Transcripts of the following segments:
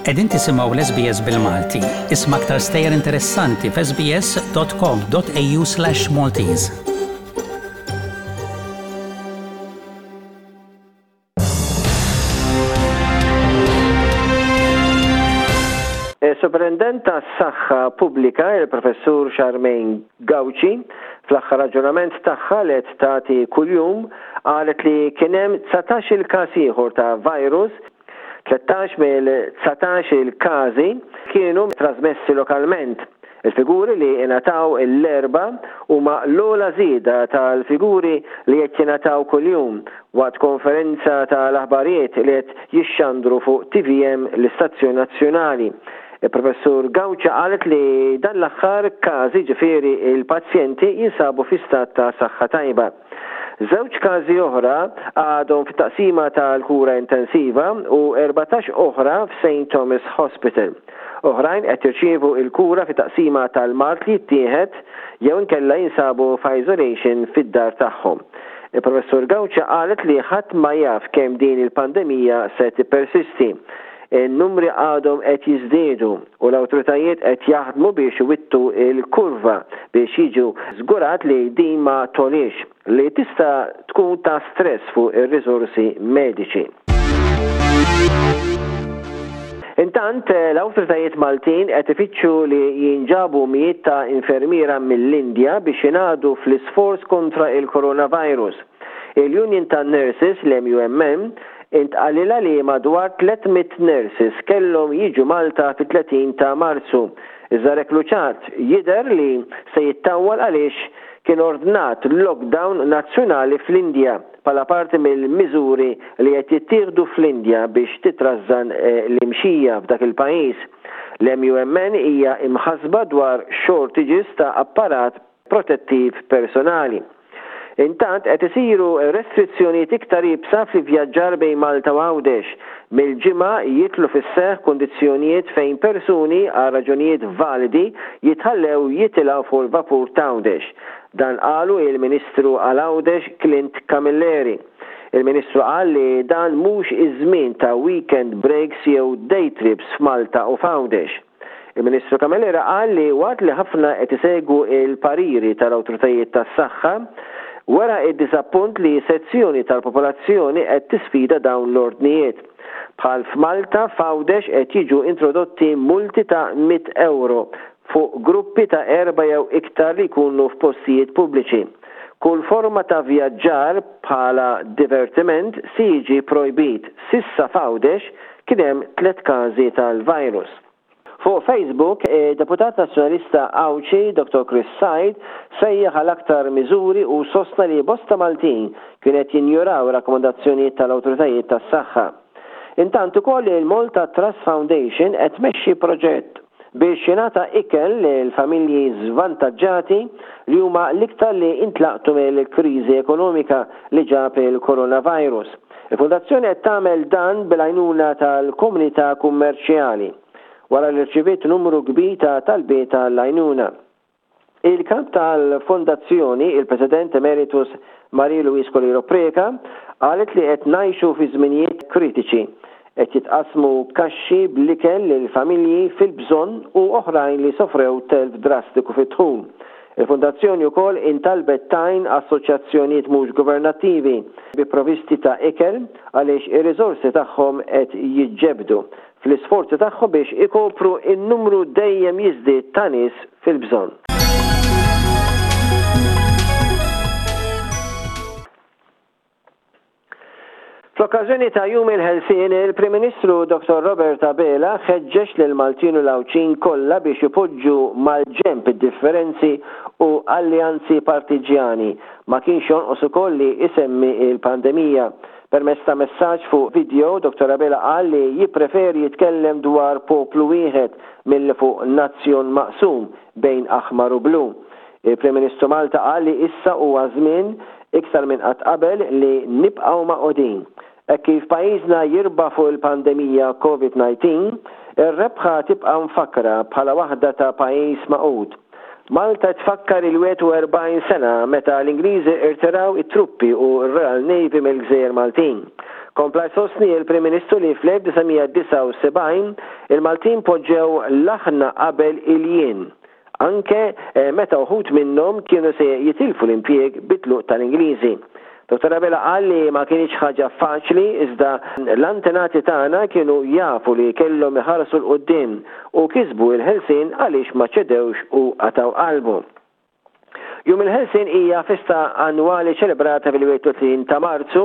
Qegħdin tisimgħu l-SBS bil-Malti. Isma' aktar stejjer interessanti f'sbs.com.au/maltese. Is-Superintendent tas-Saħħa Pubblika, il-Professur Charmaine Gauci, fl-aħħar aġġornament tagħha li qed tagħti kuljum, qalet li kien hemm 19-il każ ieħor ta' virus, 13 mill-19-il każi kienu trasmessi lokalment. Il-figuri li ingħataw l-Erbgħa huma l-ogħla żieda tal-figuri li qed jingħataw kuljum waqt konferenza tal-aħbarijiet li qed jixxandru fuq tvm l-istazzjon nazzjonali. Il-Professur Gauci qalet li dan l-aħħar każi ġifieri l-pazjenti jinsabu fi stat ta' saħħa tajba. Żewġ każi oħra għadhom fit-taqsima tal-kura intensiva u 14 oħra f'Saint Thomas Hospital. Oħrajn qed jirċievu l-kura fit-taqsima tal-mard li jittieħed jew inkella jinsabu f'isolation fid-dar tagħhom. Il-Professur Gauci qalet li ħadd ma jaf kemm din il-pandemija se tippersisti. In-numri għadhom qed jiżdiedu u l-awtoritajiet qed jaħdmu biex iwittu l-kurva biex jiġu żgurat li din ma togħliex, li tista' tkun ta' stress fuq ir-riżorsi mediċi. Intant, l-awtoritajiet Maltin qed ifittxu li jinġabu mijiet ta' infermiera mill-Indja biex jingħaqdu fl-isforz kontra l-coronavirus. Il-Union tan-Nurses, l-MUMN, intqalilha li madwar 300 nurses kellhom jiġu Malta fit-30 ta' Marzu, iżda rekluċat jidher li se jittawwal għaliex kien ordnat lockdown nazzjonali fl-Indja bħala parti mill-miżuri li qed jittieħdu fl-Indja biex titrażżan l-imxija f'dak il-pajjiż. L-MUMN hija imħassba dwar shortages ta' apparat protettiv personali. Intant qed isiru restrizzjonijiet iktar iebsa fl-ivvjaġġar bejn Malta u Għawdex. Mill-Ġimgħa jidħlu fis-seħħ kundizzjonijiet fejn persuni għal raġunijiet validi jitħallew jitilgħu fuq il-vapur t'Għawdex. Dan qalu il-Ministru għal Għawdex Clint Camilleri. Il-Ministru qal li dan mhux iż-żmien ta' weekend breaks jew day trips f'Malta u f'Għawdex. Il-Ministru Camilleri qal li waqt li ħafna qed isegwu l-pariri tal-awtoritajiet tas-saħħa, wera d-diżappunt li sezzjoni tal-popolazzjoni qed tisfida dawn l-ordnijiet. Bħal f'Malta, f'Għawdex qed jiġu introdotti multi ta' 100 ewro fuq gruppi ta' erba' jew iktar li jkunu f'postijiet pubbliċi. Kull forma ta' vjaġġar bħala divertiment se jiġi projbit. S'issa f'Għawdex kien hemm tlett każi tal-virus. Fuq Facebook, id-Deputat Nazzjonalista Għawdxi, Dottor Chris Said, sejjaħ għal aktar miżuri u sostna li bosta Maltin kienu qed jinjoraw ir-rakkomandazzjonijiet tal-awtoritajiet tas-saħħa. Intant ukoll il-Malta Trust Foundation qed tmexxi proġett biex jingħata ikel lil familji żvantaġġati li huma l-iktar li intlaqtu mill-kriżi ekonomika li ġab il-coronavirus. Il-Fondazzjoni qed tagħmel dan bil-għajnuna tal-komunità kummerċjali, wara li rċiviet numru kbir ta' talbiet għall-għajnuna. Il-Kap tal-Fondazzjoni, il-President Emeritus Marie Louise Coleiro Preca, qalet li qed ngħixu fi żminijiet kritiċi. Qed jitqassmu kaxxi bl-ikel lil familji fil-bżonn u oħrajn li sofrew telf drastiku fid-dħul. Il-Fondazzjoni wkoll intalbet tgħin assoċjazzjonijiet mhux governattivi bi provisti ta' ikel għaliex ir-riżorsi tagħhom qed jiġġebbdu fl-isforzi tagħhom biex ikopru n-numru dejjem jiżdied ta' nies fil-bżonn. Fl-okkażjoni ta' Jum il-Ħelsien, il-Prim Ministru Dottor Robert Abela ħeġġeġ lill-Maltin u l-Għawdxin kollha biex ipoġġu mal-ġenb id-differenzi u alleanzi partiġġjani. Ma kienx jonqos ukoll li jsemmi l-pandemija. Permezz ta' messaġġ fuq video, Dottor Abela qal li jippreferi jitkellem dwar poplu wieħed milli fuq nazzjon maqsum bejn aħmar u blu. Il-Prim Ministru Malta qal li issa huwa żmien, iktar minn qatt qabel, li nibqgħu magħqudin. Hekk kif pajjiżna jirbaħ fuq il-pandemija Covid 19, ir-rebħa tibqa' mfakkra bħala waħda ta' pajjiż magħqud. Malta tfakkar il-41 sena meta l-Ingliżi rtiraw it-truppi u r-Royal Navy mill-gżejjer Maltin. Kompla jsostni il-Prim Ministru li fl-1979 il-Maltin poġġew l-aħna qabel il-jien, anke meta uħud minnhom kienu se jitilfu l-impjieg bit-tluq tal-Ingliżi. Dottor Abela qal li ma kinitx ħaġa faċli iżda l-antenati tagħna kienu jafu li kellhom iħarsu 'l quddiem u kisbu l-ħelsien għaliex ma ċedewx u qatgħu qalbhom. Jum il-Ħelsien hija festa annwali ċelebrata fil-31 ta' Marzu,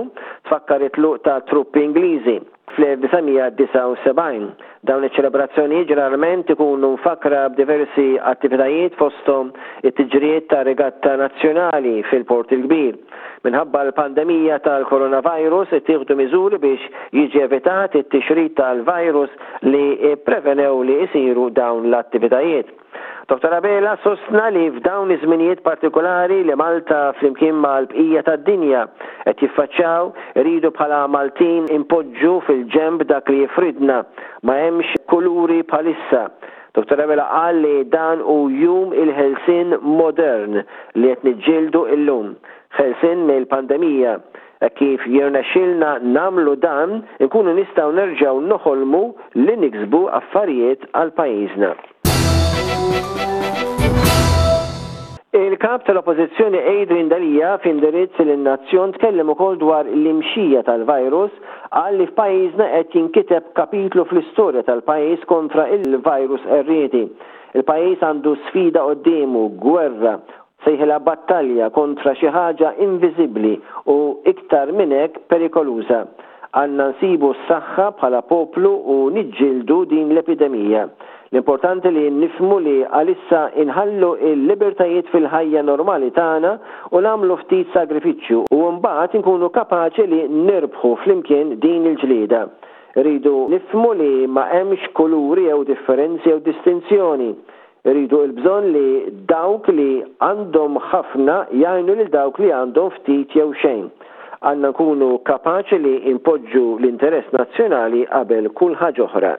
tfakkar it-tluq ta' truppi Ingliżi fl-1979. Dawn iċ-ċelebrazzjonijiet ġeneralment ikunu mfakkra b'diversi attivitajiet fosthom it-tiġrijiet ta' regatta nazzjonali fil-Port il-Kbir. Minħabba l-pandemija tal-coronavirus ittieħdu miżuri biex jiġi evitat it-tixrid tal-virus li pprevenew li jsiru dawn l-attivitajiet. Dottor Abela sostna li f'dawn iż-żminijiet partikolari li Malta flimkien mal-bqija tad-dinja qed jiffaċċjaw, irridu bħala Maltin inpoġġu fil-ġenb dak li jifridna. Ma hemmx kuluri bħalissa. Dottor Abela qal li dan hu jum il-ħelsien modern li qed niġġieldu illum. Ħelsien mill-pandemija. Hekk kif jirnexxielna nagħmlu dan, inkunu nistgħu nerġgħu noħolmu li niksbu affarijiet għal pajjiżna. Il-Kap tal-Oppożizzjoni Adrian Delia f'indirizz lin-nazzjon tkellem ukoll dwar l-imxija tal-virus, qal li f'pajjiżna qed jinkiteb kapitlu fl-istorja tal-pajjiż kontra il-virus qerriedi. Il-pajjiż għandu sfida quddiemu, gwerra, Sejħilha battalja kontra xi ħaġa inviżibbli u iktar minn hekk perikoluża. Għandna nsibu s-saħħa bħala poplu u niġġieldu din l-epidemija. L-importanti li nifhmu li għalissa inħallu l-libertajiet fil-ħajja normali tagħna u nagħmlu ftit sagrifiċċju u mbagħad inkunu kapaċi li nirbħu flimkien din il-ġlieda. Irridu nifhmu li ma hemmx kuluri jew differenzi jew distinzjoni. Iridu l-bżonn li dawk li għandhom ħafna jgħinu lil dawk li għandhom ftit jew xejn. Għandna nkunu kapaċi li npoġġu l-interess nazzjonali qabel kull ħaġa oħra.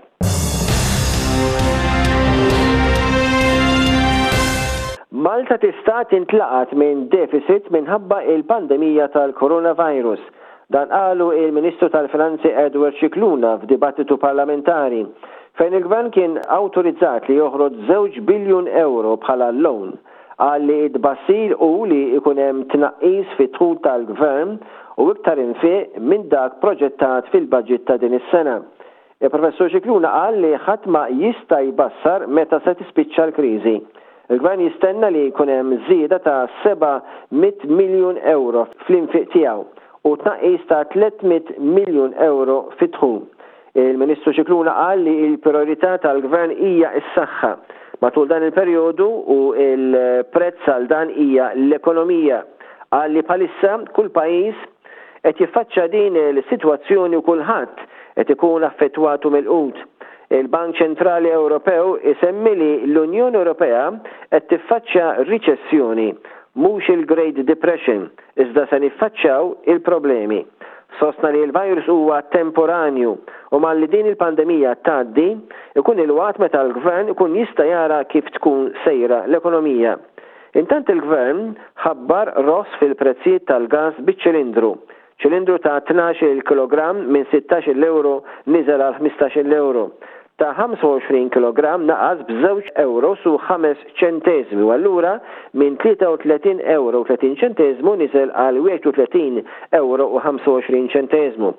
Malta tista' tintlaqat minn deficit minħabba il-pandemija tal-coronavirus. Dan qalu il-Ministru tal-Finanzi Edward Scicluna f'dibattitu parlamentari, fejn il-Gvern kien awtorizzat li joħroġ żewġ biljun ewro bħala loan. Qal li t-tbassir hu li jkun hemm tnaqqis fid-dħul tal-Gvern u iktar infiq minn dak proġettat fil-budget ta' din is-sena. Il-Professur Scicluna qal li ħadd ma jista' jbassar meta se tispiċċa l-kriżi. Il-Gvern jistenna li jkun hemm żieda ta' 700 miljun ewro fl-infiq tiegħu u tnaqqis ta' 300 miljun ewro fid-dħul. Il-Ministru Scicluna qal li l-prijorità tal-Gvern hija s-saħħa matul dan il-perjodu u l-prezz għal dan hija l-ekonomija. Qal li bħalissa kull pajjiż qed jiffaċċja din il-sitwazzjoni u kulħadd qed ikun affettwat u milqut. Il-Bank Ċentrali Ewropew isemmi li l-Unjoni Ewropea qed tiffaċċja riċessjoni, mhux il-Great Depression, iżda se niffaċċjaw il-problemi. Sostna li l-virus huwa temporanju u malli din il-pandemija tgħaddi, ikun il-waqt meta l-Gvern ikun jista' jara kif tkun sejra l-ekonomija. Intant il-Gvern ħabbar roħs fil-prezzijiet tal-gass biċ-ċilindru. Ċilindru ta' 12-il kilogramm minn 16-il ewro niżel għal 15-il ewro. Ta' 25 kilogramm naqas b'żewġ ewros u ħames ċenteżmi u allura minn 33 ewro u 30 ċenteżmu niżel għal 31 ewro u 25 ċenteżmu.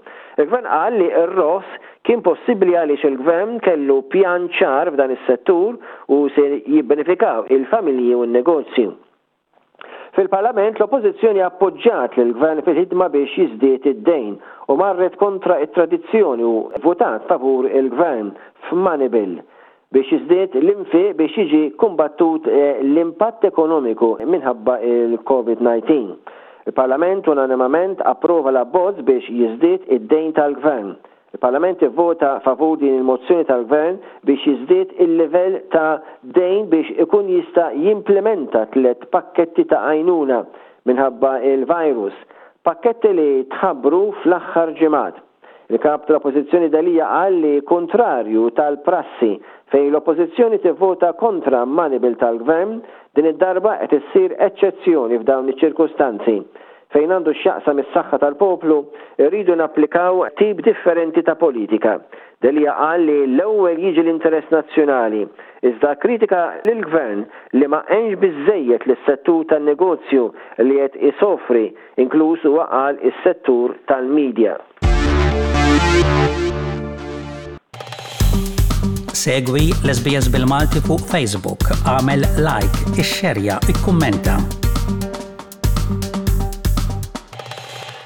Il-Gvern qal li r-roħs kien possibbli għaliex il-Gvern kellu pjan ċar f'dan is-settur u se jibbenefikaw il-familji u n-negozji. Fil-Parlament l-Oppożizzjoni appoġġjat lill-Gvern fil-ħidma biex jiżdied id-dejn u marret kontra t-tradizzjoni u vvutat favur il-Gvern f'money bill biex jiżdied l-infiq biex jiġi kumbattut l-impatt ekonomiku minħabba l-Covid 19. Il-Parlament unanimament approva l-abbozz biex jiżdied id-dejn tal-Gvern. Il-Parlament ivvota favur din il-mozzjoni tal-Gvern biex jiżdied il-livell ta' dejn biex ikun jista' jimplimenta tlett pakketti ta' għajnuna minħabba l-virus, pakketti li tħabbru fl-aħħar ġimgħat. Il-Kap tal-Oppożizzjoni Delia qal li kuntrarju tal-prassi fejn l-Oppożizzjoni tivvota kontra money bill tal-Gvern, din id-darba qed issir eċċezzjoni f'dawn iċ-ċirkustanzi. Fejn għandu x'jaqsam is-saħħa tal-poplu, irridu napplikaw tip differenti ta' politika. Delia qal li l-ewwel jiġi l-interess nazzjonali, iżda kkritika lill-Gvern li ma għenx biżżejjed lis-settur tan-negozju li qed isofri, inkluż huwa qal is-settur tal-media. Segwi l-SBS bil-Malti fuq Facebook, agħmel like, ixxerja, ikkummenta.